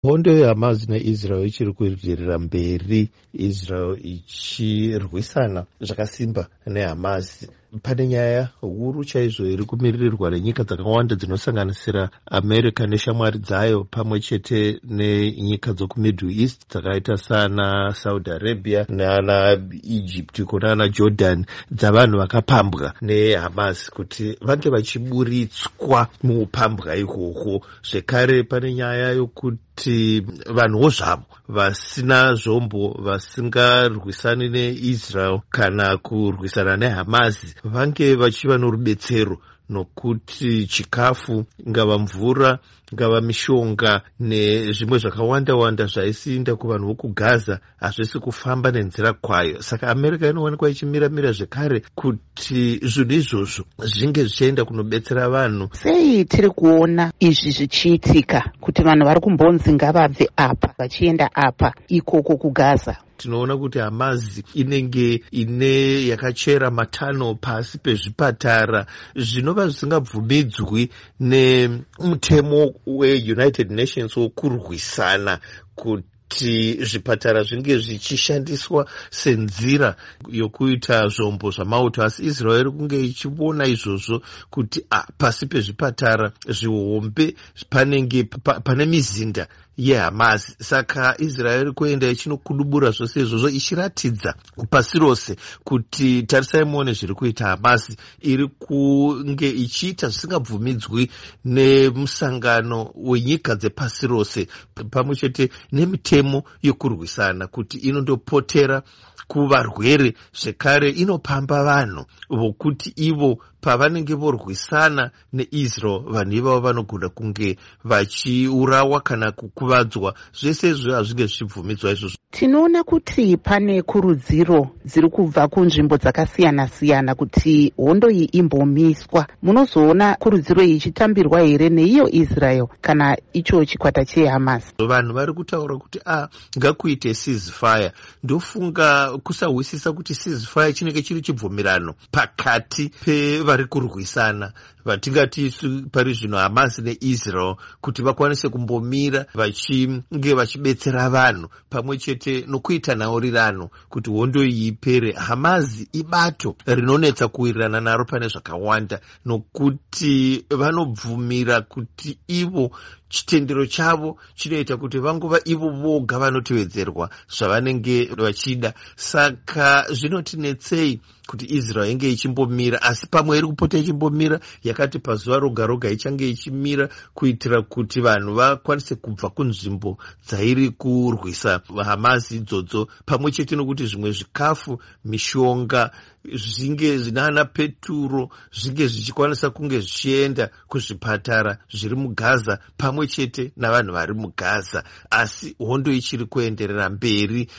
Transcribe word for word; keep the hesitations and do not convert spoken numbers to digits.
Hondo yeHamas neIsrael ichiri kuenderera mberi, Israel ichirwisana zvakasimba neHamas. Pane nyaya huru chaizvo iri kumiririrwa nenyika dzakawanda dzinosanganisira America neshamwari dzayo, pamwe chete nenyika dzokuMiddle East dzakaita sana Saudi Arabia nana Egypt kunana Jordan, dzavanhu vakapambwa neHamas kuti vange vachiburitswa muupambwa ihwohwo. Zvekare pane nyaya yokuti vanhuwo zvavo vasina zvombo, vasingarwisani neIsrael kana kurwisana neHamas, vange vachiva norubetsero, nokuti chikafu, ingava mvura, ingava mishonga nezvimwe zvakawanda wanda zvaisiinda kuvanhu vokuGaza hazvisi kufamba nenzira kwayo. Saka America inowanikwa ichimiramira zvekare kuti zvinhu izvozvo zvinge zvichienda kunobetsera vanhu. Sei tiri kuona izvi zvichiitika, kuti vanhu vari kumbonzi ngavabve apa vachienda apa ikoko kuGaza? Tinoona kuti Hamas inenge ine yakachera matunnel pasi pezvipatara, zvinova zvisingabvumidzwi nemutemo weUnited Nations wokurwisana kuti zvipatara zvinge zvichishandiswa senzira yokuita zvombo zvamauto. Asi Israel iri kunge ichiona izvozvo kuti a, pasi pezvipatara zvihombe panenge pa, pane mizinda yeHamas. Saka Israel iri kuenda ichinokudubura zvose izvozvo, ichiratidza pasi rose kuti tarisai muone zviri kuita Hamas, iri kunge ichiita zvisingabvumidzwi nemusangano wenyika dzepasi rose pamwe chete nemitemo yokurwisana, kuti inondopotera kuvarwere, zvekare inopamba vanhu vokuti ivo pavanenge vorwisana neIsrael, vanhu ivavo vanogona kunge vachiurawa kana kukuvadzwa. Zvese izvo hazvinge zvichibvumidzwa izvozvo. Tinoona kuti pane kurudziro dziri kubva kunzvimbo dzakasiyana-siyana kuti hondo iyi imbomiswa. Munozoona kurudziro iyi ichitambirwa here neiyo Israel kana icho chikwata cheHamas? Vanhu vari kutaura kuti a, ngakuite ceasefire. Ndofunga kusahwisisa kuti ceasefire chinenge chiri chibvumirano pakati pevari kurwisana, vatingati pari zvino Hamas neIsrael, kuti vakwanise kumbomira vachinge vachibetsera vanhu pamwe chete nokuita nhaurirano kuti hondo iyi ipere. Hamas ibato rinonetsa kuwirirana naro pane zvakawanda, nokuti vanobvumira kuti ivo chitendero chavo chinoita kuti vangova ivo voga vanotevedzerwa zvavanenge vachida. Saka zvinotinetsei kuti Israel inge ichimbomira, asi pamwe iri kupota ichimbomira, yakati pazuva roga roga ichange ichimira kuitira kuti vanhu vakwanise kubva kunzvimbo dzairi kurwisa Hamas idzodzo, pamwe chete nokuti zvimwe zvikafu, mishonga, zvinge zvinana peturo zvinge zvichikwanisa kunge zvichienda kuzvipatara zviri muGaza pamwe chete navanhu vari muGaza. Asi hondo ichiri kuenderera mberi.